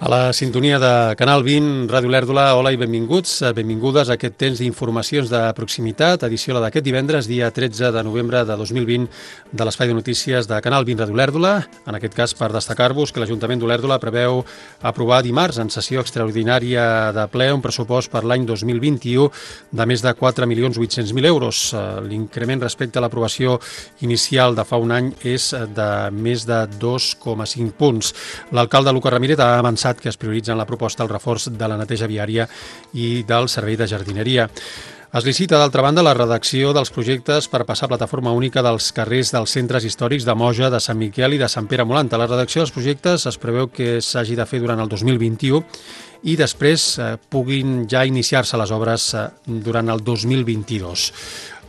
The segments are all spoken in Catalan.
A la sintonia de Canal 20, Ràdio Lèrdula, hola i benvinguts, benvingudes a aquest temps d'informacions de proximitat, edició d'aquest divendres, dia 13 de novembre de 2020, de l'Espai de Notícies de Canal 20 Ràdio Lèrdula. En aquest cas, per destacar-vos que l'Ajuntament d'Olèrdola preveu aprovar dimarts en sessió extraordinària de ple un pressupost per l'any 2021 de més de 4.800.000 euros. L'increment respecte a l'aprovació inicial de fa un any és de més de 2,5 punts. L'alcalde Lucas Ramírez ha avançat que es prioritza en la proposta el reforç de la neteja viària i del servei de jardineria. Es licita, d'altra banda, la redacció dels projectes per passar a plataforma única dels carrers dels centres històrics de Moja, de Sant Miquel i de Sant Pere Molanta. La redacció dels projectes es preveu que s'hagi de fer durant el 2021 i després puguin ja iniciar-se les obres durant el 2022.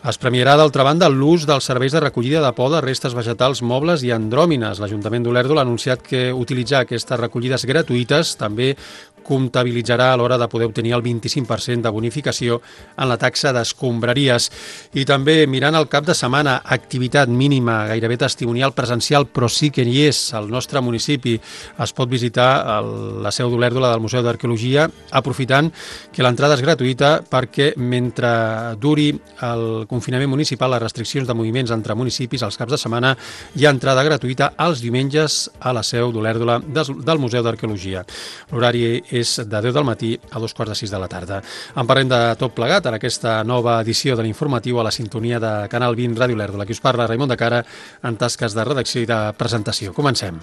Es premiarà, d'altra banda, l'ús dels serveis de recollida de poda, restes vegetals, mobles i andròmines. L'Ajuntament d'Olèrdola ha anunciat que utilitzar aquestes recollides gratuïtes també comptabilitzarà a l'hora de poder obtenir el 25% de bonificació en la taxa d'escombraries. I també, mirant el cap de setmana, activitat mínima, gairebé testimonial presencial, però sí que hi és al nostre municipi. Es pot visitar la seu d'Olèrdola del Museu d'Arqueologia, aprofitant que l'entrada és gratuïta perquè mentre duri el confinament municipal, les restriccions de moviments entre municipis als caps de setmana, hi ha entrada gratuïta els diumenges a la seu d'Olèrdola del Museu d'Arqueologia. L'horari és de 10 del matí a 2:45 de la tarda. En parlem de tot plegat en aquesta nova edició de l'informatiu a la sintonia de Canal 20 Ràdio Lèrdula. Qui us parla, Raimon de Cara, en tasques de redacció i de presentació. Comencem.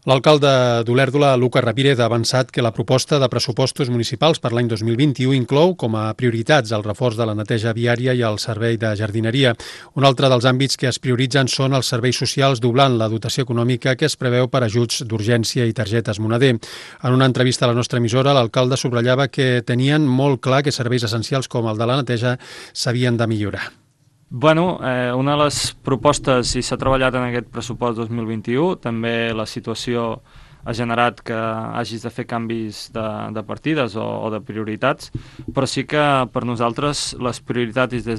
L'alcalde d'Olèrdola, Lucas Ramírez, ha avançat que la proposta de pressupostos municipals per l'any 2021 inclou com a prioritats el reforç de la neteja viària i el servei de jardineria. Un altre dels àmbits que es prioritzen són els serveis socials, doblant la dotació econòmica que es preveu per ajuts d'urgència i targetes moneder. En una entrevista a la nostra emissora, l'alcalde subratllava que tenien molt clar que serveis essencials com el de la neteja s'havien de millorar. Bueno, una de les propostes, i s'ha treballat en aquest pressupost 2021, també la situació ha generat que hagis de fer canvis de partides o de prioritats, però sí que per nosaltres les prioritats i des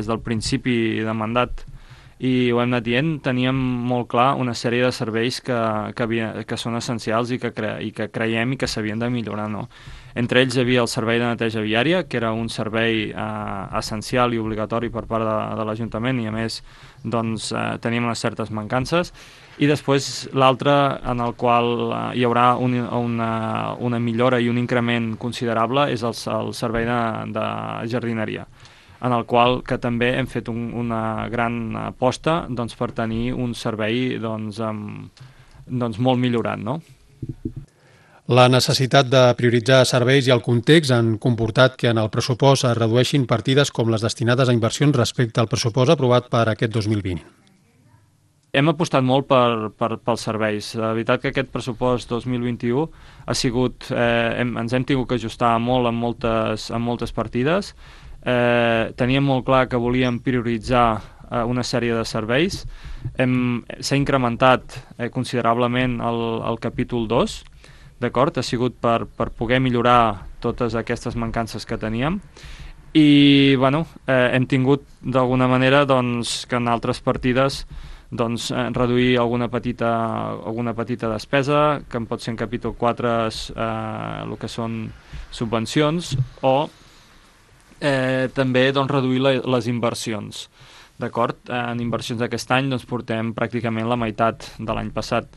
del principi de mandat, i ho hem anat dient, teníem molt clar una sèrie de serveis que són essencials i que creiem i que s'havien de millorar, no? Entre ells hi havia el servei de neteja viària, que era un servei essencial i obligatori per part de l'Ajuntament i a més doncs, teníem unes certes mancances, i després l'altre en el qual hi haurà una millora i un increment considerable és el servei de jardineria, en el qual que també hem fet una gran aposta doncs, per tenir un servei doncs, molt millorat, no? La necessitat de prioritzar serveis i el context han comportat que en el pressupost es redueixin partides com les destinades a inversions respecte al pressupost aprovat per aquest 2020. Hem apostat molt pels serveis. La veritat que aquest pressupost 2021 ha sigut... ens hem tingut que ajustar molt en moltes partides. Teníem molt clar que volíem prioritzar una sèrie de serveis. S'ha incrementat considerablement el capítol 2, d'acord? Ha sigut per poder millorar totes aquestes mancances que teníem i bueno, hem tingut d'alguna manera doncs, que en altres partides doncs, reduir alguna petita despesa, que en pot ser en capítol 4 el que són subvencions o també doncs, reduir les inversions. D'acord? En inversions d'aquest any doncs, portem pràcticament la meitat de l'any passat.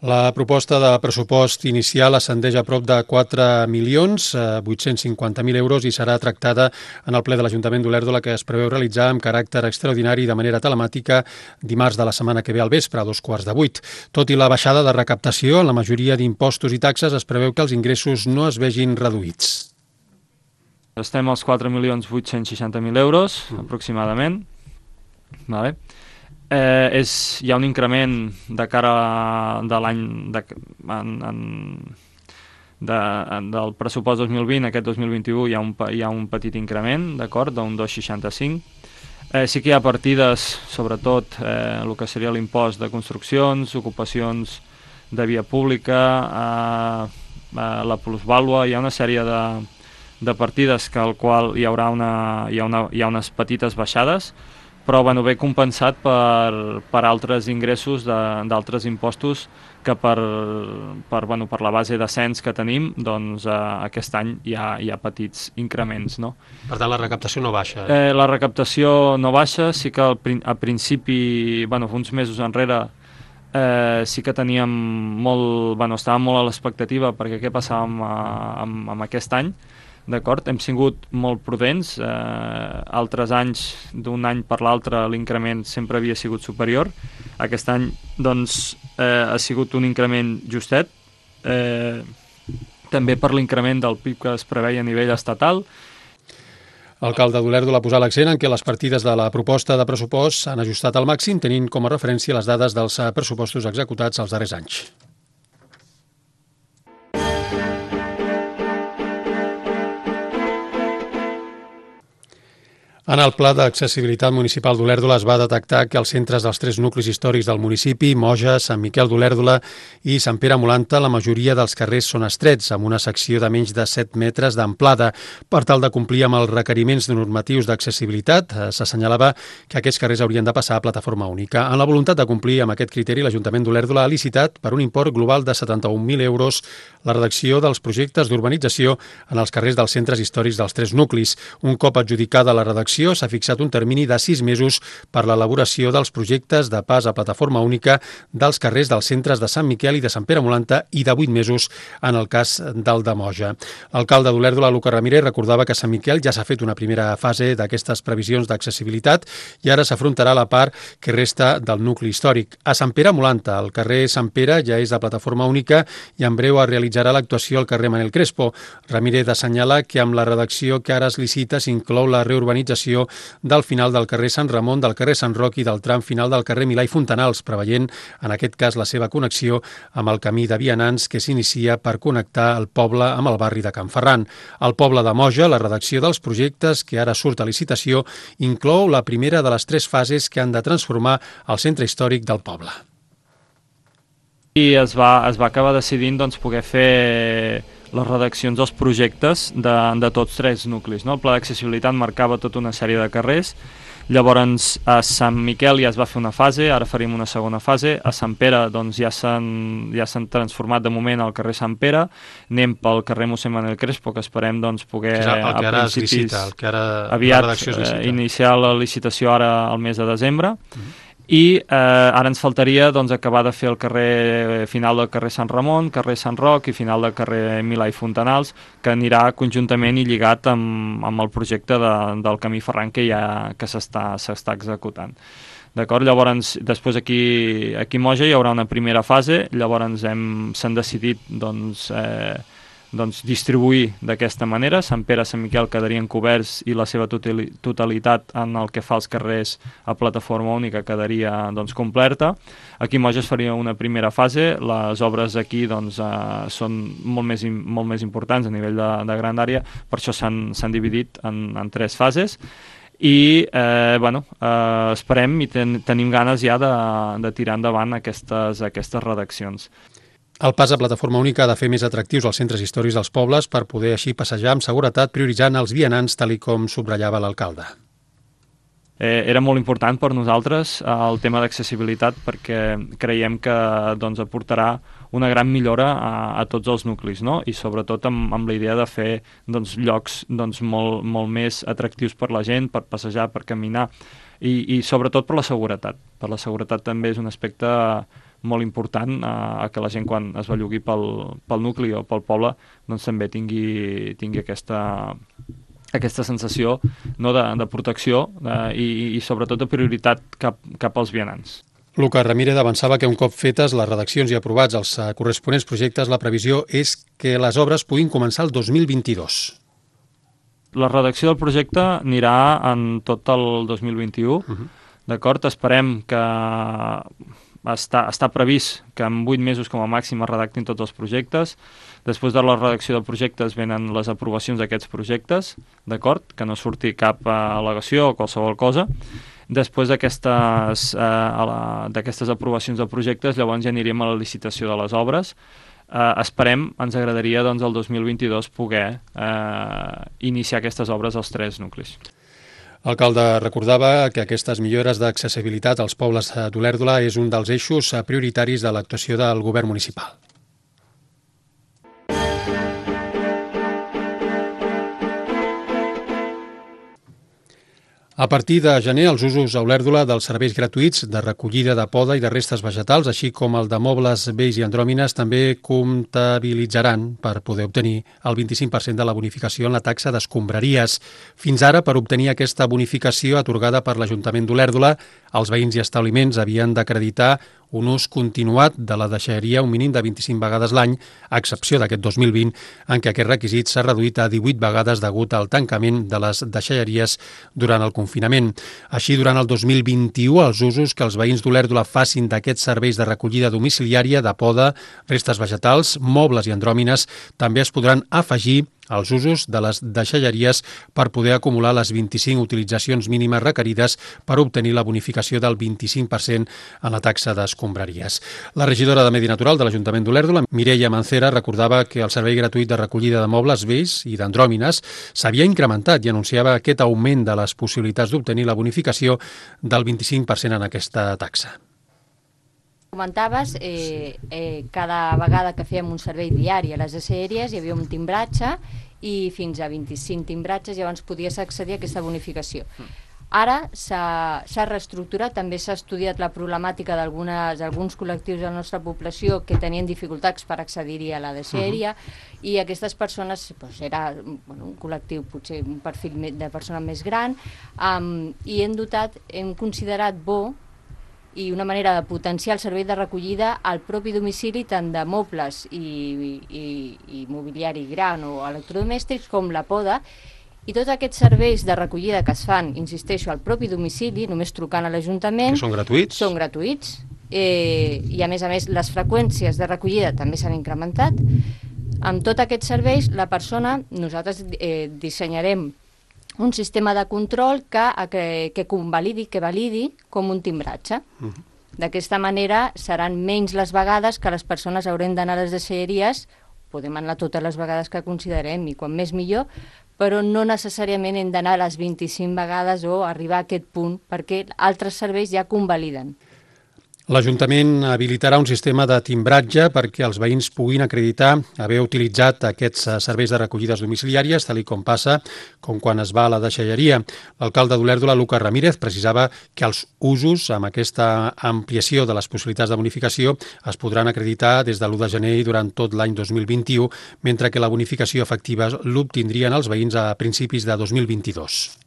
La proposta de pressupost inicial ascendeix a prop de 4.850.000 euros i serà tractada en el ple de l'Ajuntament d'Olèrdola, que es preveu realitzar amb caràcter extraordinari de manera telemàtica dimarts de la setmana que ve al vespre, a 7:15. Tot i la baixada de recaptació en la majoria d'impostos i taxes, es preveu que els ingressos no es vegin reduïts. Estem als 4.860.000 euros, aproximadament. Vale. Hi ha un increment de cara de l'any del pressupost 2020, aquest 2021 hi ha un petit increment, d'acord, d'un 2,65. Sí que hi ha partides, sobretot el que seria l'impost de construccions, ocupacions de via pública, la plusvàlua, hi ha una sèrie de partides que al qual hi ha unes petites baixades, però bueno, ve compensat per altres ingressos d'altres impostos que per la base de cens que tenim, doncs aquest any hi ha petits increments, no? Per tant, la recaptació no baixa. La recaptació no baixa, sí que a principi, uns mesos enrere, sí que teníem estàvem molt a l'expectativa perquè què passava amb aquest any, d'acord? Hem sigut molt prudents, altres anys, d'un any per l'altre, l'increment sempre havia sigut superior. Aquest any, doncs, ha sigut un increment justet, també per l'increment del PIB que es preveia a nivell estatal. L'alcalde d'Olèrdola ha posat l'accent en què les partides de la proposta de pressupost s'han ajustat al màxim, tenint com a referència les dades dels pressupostos executats els darrers anys. En el Pla d'Accessibilitat Municipal d'Olèrdola es va detectar que els centres dels 3 nuclis històrics del municipi, Moja, Sant Miquel d'Olèrdola i Sant Pere Molanta, la majoria dels carrers són estrets, amb una secció de menys de 7 metres d'amplada. Per tal de complir amb els requeriments normatius d'accessibilitat, s'assenyalava que aquests carrers haurien de passar a plataforma única. En la voluntat de complir amb aquest criteri, l'Ajuntament d'Olèrdola ha licitat per un import global de 71.000 euros la redacció dels projectes d'urbanització en els carrers dels centres històrics dels 3 nuclis. Un cop adjudicada la redacció, s'ha fixat un termini de 6 mesos per l'elaboració dels projectes de pas a plataforma única dels carrers dels centres de Sant Miquel i de Sant Pere Molanta i de 8 mesos en el cas del de Moja. L'alcalde d'Olèrdola, Luca Ramírez, recordava que a Sant Miquel ja s'ha fet una primera fase d'aquestes previsions d'accessibilitat i ara s'afrontarà la part que resta del nucli històric. A Sant Pere Molanta, el carrer Sant Pere ja és de plataforma única i en breu es realitzarà l'actuació al carrer Manel Crespo. Ramírez assenyala que amb la redacció que ara es licita s'inclou la reurbanització del final del carrer Sant Ramon, del carrer Sant Roc i del tram final del carrer Milà i Fontanals, preveient, en aquest cas, la seva connexió amb el camí de vianants que s'inicia per connectar el poble amb el barri de Can Ferran. Al poble de Moja, la redacció dels projectes que ara surt a licitació inclou la primera de les 3 fases que han de transformar el centre històric del poble. I es va acabar decidint poder fer les redaccions dels projectes de tots 3 nuclis, no? El pla d'accessibilitat marcava tota una sèrie de carrers, llavors a Sant Miquel ja es va fer una fase, ara faríem una segona fase, a Sant Pere ja s'han transformat de moment al carrer Sant Pere, anem pel carrer Mossèn Manel Crespo, que esperem poder el que ara es licita, el que ara aviat la redacció es licita. Iniciar la licitació ara al mes de desembre. I ara ens faltaria acabar de fer el carrer final del carrer Sant Ramon, carrer Sant Roc i final del carrer Milà i Fontanals, que anirà conjuntament i lligat amb el projecte del camí Ferran que s'està executant. D'acord? Llavors, després aquí a Moja hi haurà una primera fase, llavors s'han decidit distribuir d'aquesta manera. Sant Pere i Sant Miquel quedarien coberts i la seva totalitat en el que fa als carrers a plataforma única quedaria completa. Aquí a Moja es faria una primera fase, les obres aquí són molt més importants a nivell de grandària, per això s'han dividit en 3 fases. I esperem i tenim ganes ja de tirar endavant aquestes redaccions. El pas a plataforma única ha de fer més atractius els centres històrics dels pobles per poder així passejar amb seguretat, prioritzant els vianants, tal com subratllava l'alcalde. Era molt important per nosaltres el tema d'accessibilitat perquè creiem que aportarà una gran millora a tots els nuclis, no? I sobretot amb la idea de fer llocs molt més atractius per la gent, per passejar, per caminar i sobretot per la seguretat. Per la seguretat també és un aspecte molt important a que la gent quan es bellugui pel nucli o pel poble també tingui aquesta sensació de protecció i sobretot de prioritat cap als vianants. Luca Ramírez avançava que un cop fetes les redaccions i aprovats els corresponents projectes, la previsió és que les obres puguin començar el 2022. La redacció del projecte anirà en tot el 2021, d'acord? Esperem que està previst que en 8 mesos com a màxim es redactin tots els projectes. Després de la redacció de projectes venen les aprovacions d'aquests projectes, d'acord? Que no surti cap al·legació o qualsevol cosa. Després d'aquestes aprovacions de projectes, llavors ja aniríem a la licitació de les obres. Esperem, ens agradaria doncs, el 2022 poder iniciar aquestes obres als 3 nuclis. L'alcalde recordava que aquestes millores d'accessibilitat als pobles d'Olèrdola és un dels eixos prioritaris de l'actuació del govern municipal. A partir de gener, els usos a Olèrdola dels serveis gratuïts de recollida de poda i de restes vegetals, així com el de mobles vells i andròmines, també comptabilitzaran per poder obtenir el 25% de la bonificació en la taxa d'escombraries. Fins ara, per obtenir aquesta bonificació atorgada per l'Ajuntament d'Olèrdola, els veïns i establiments havien d'acreditar un ús continuat de la deixalleria un mínim de 25 vegades l'any, a excepció d'aquest 2020, en què aquest requisit s'ha reduït a 18 vegades degut al tancament de les deixalleries durant el confinament. Així, durant el 2021, els usos que els veïns d'Olèrdola facin d'aquests serveis de recollida domiciliària de poda, restes vegetals, mobles i andròmines també es podran afegir als usos de les deixalleries per poder acumular les 25 utilitzacions mínimes requerides per obtenir la bonificació del 25% en la taxa d'escombraries. La regidora de Medi Natural de l'Ajuntament d'Olèrdola, Mireia Mancera, recordava que el servei gratuït de recollida de mobles vells i d'andròmines s'havia incrementat i anunciava aquest augment de les possibilitats d'obtenir la bonificació del 25% en aquesta taxa. Comentaves, cada vegada que fèiem un servei diari a les deixalleries hi havia un timbratge i fins a 25 timbratges llavors podies accedir a aquesta bonificació. Ara s'ha reestructurat, també s'ha estudiat la problemàtica d'alguns col·lectius de la nostra població que tenien dificultats per accedir-hi a la deixalleria i aquestes persones, era un col·lectiu, potser un perfil de persona més gran, i hem considerat bo i una manera de potenciar el servei de recollida al propi domicili tant de mobles i mobiliari gran o electrodomèstics com la poda, i tots aquests serveis de recollida que es fan, insisteixo, al propi domicili, només trucant a l'Ajuntament... Que són gratuïts? Són gratuïts, i a més les freqüències de recollida també s'han incrementat. Amb tots aquests serveis, nosaltres dissenyarem un sistema de control que validi com un timbratge. D'aquesta manera seran menys les vegades que les persones haurem d'anar a les deixalleries, podem anar totes les vegades que considerem i quan més millor, però no necessàriament hem d'anar a les 25 vegades o arribar a aquest punt, perquè altres serveis ja convaliden. L'Ajuntament habilitarà un sistema de timbratge perquè els veïns puguin acreditar haver utilitzat aquests serveis de recollides domiciliàries, tal com passa com quan es va a la deixalleria. L'alcalde d'Olèrdola, Lucas Ramírez, precisava que els usos amb aquesta ampliació de les possibilitats de bonificació es podran acreditar des de l'1 de gener i durant tot l'any 2021, mentre que la bonificació efectiva l'obtindrien els veïns a principis de 2022.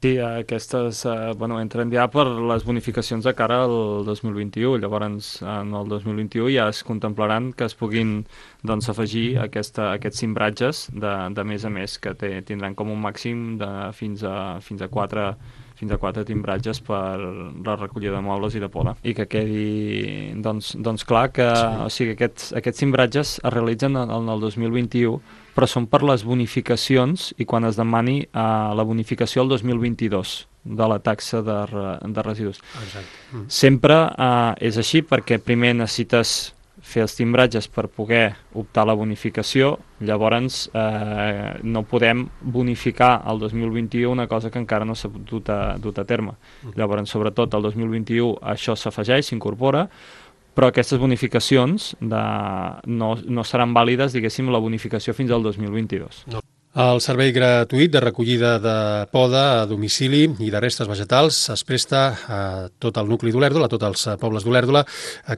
Sí, aquestes entren ja per les bonificacions de cara al 2021. Llavors, en el 2021 ja es contemplaran que es puguin afegir aquests cimbratges de més a més, que tindran com un màxim de fins a 4 timbratges per la recollida de mobles i de poda. I que quedi clar que aquests cimbratges es realitzen en el 2021, però són per les bonificacions i quan es demani la bonificació el 2022 de la taxa de residus. Exacte. Sempre és així perquè primer necessites fer els timbratges per poder optar a la bonificació, llavors no podem bonificar el 2021 una cosa que encara no s'ha dut a terme. Llavors, sobretot el 2021 això s'afegeix, s'incorpora, però aquestes bonificacions no seran vàlides, diguéssim, la bonificació fins al 2022. No. El servei gratuït de recollida de poda a domicili i de restes vegetals es presta a tot el nucli d'Olèrdola, a tots els pobles d'Olèrdola.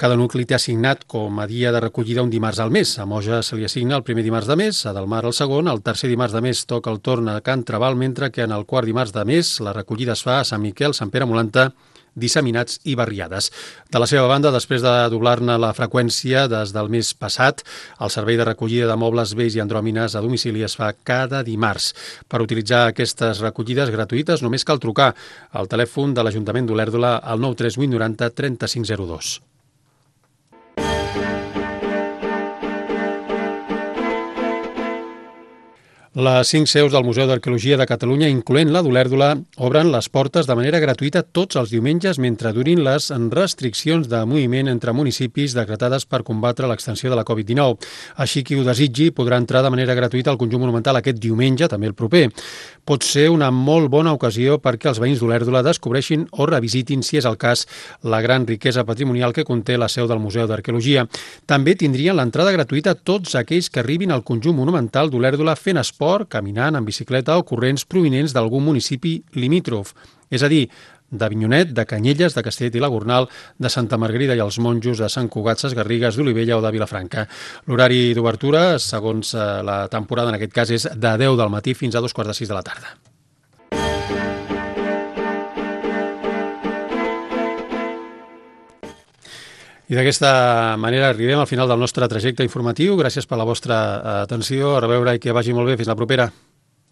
Cada nucli té assignat com a dia de recollida un dimarts al mes. A Moja se li assigna el primer dimarts de mes, a Delmar el segon, el tercer dimarts de mes toca el torn a Can Trabal, mentre que en el quart dimarts de mes la recollida es fa a Sant Miquel, Sant Pere Molanta, Disseminats i Barriades. De la seva banda, després de doblar-ne la freqüència des del mes passat, el servei de recollida de mobles vells i andròmines a domicili es fa cada dimarts. Per utilitzar aquestes recollides gratuïtes només cal trucar al telèfon de l'Ajuntament d'Olèrdola al 938 90 3502. Les 5 seus del Museu d'Arqueologia de Catalunya, incloent la d'Olèrdola, obren les portes de manera gratuïta tots els diumenges mentre durin les restriccions de moviment entre municipis decretades per combatre l'extensió de la Covid-19. Així, qui ho desitgi podrà entrar de manera gratuïta al conjunt monumental aquest diumenge, també el proper. Pot ser una molt bona ocasió perquè els veïns d'Olèrdola descobreixin o revisitin, si és el cas, la gran riquesa patrimonial que conté la seu del Museu d'Arqueologia. També tindrien l'entrada gratuïta tots aquells que arribin al conjunt monumental d'Olèrdola fent esport, caminant, en bicicleta o corrents provinents d'algun municipi limítrof, és a dir, d'Avinyonet, de Canyelles, de Castellet i la Gornal, de Santa Margarida i els Monjos, de Sant Cugat, Ses Garrigues, d'Olivella o de Vilafranca. L'horari d'obertura, segons la temporada en aquest cas, és de 10 del matí fins a 2:45 de la tarda. I d'aquesta manera arribem al final del nostre trajecte informatiu. Gràcies per la vostra atenció. A reveure i que vagi molt bé. Fins la propera.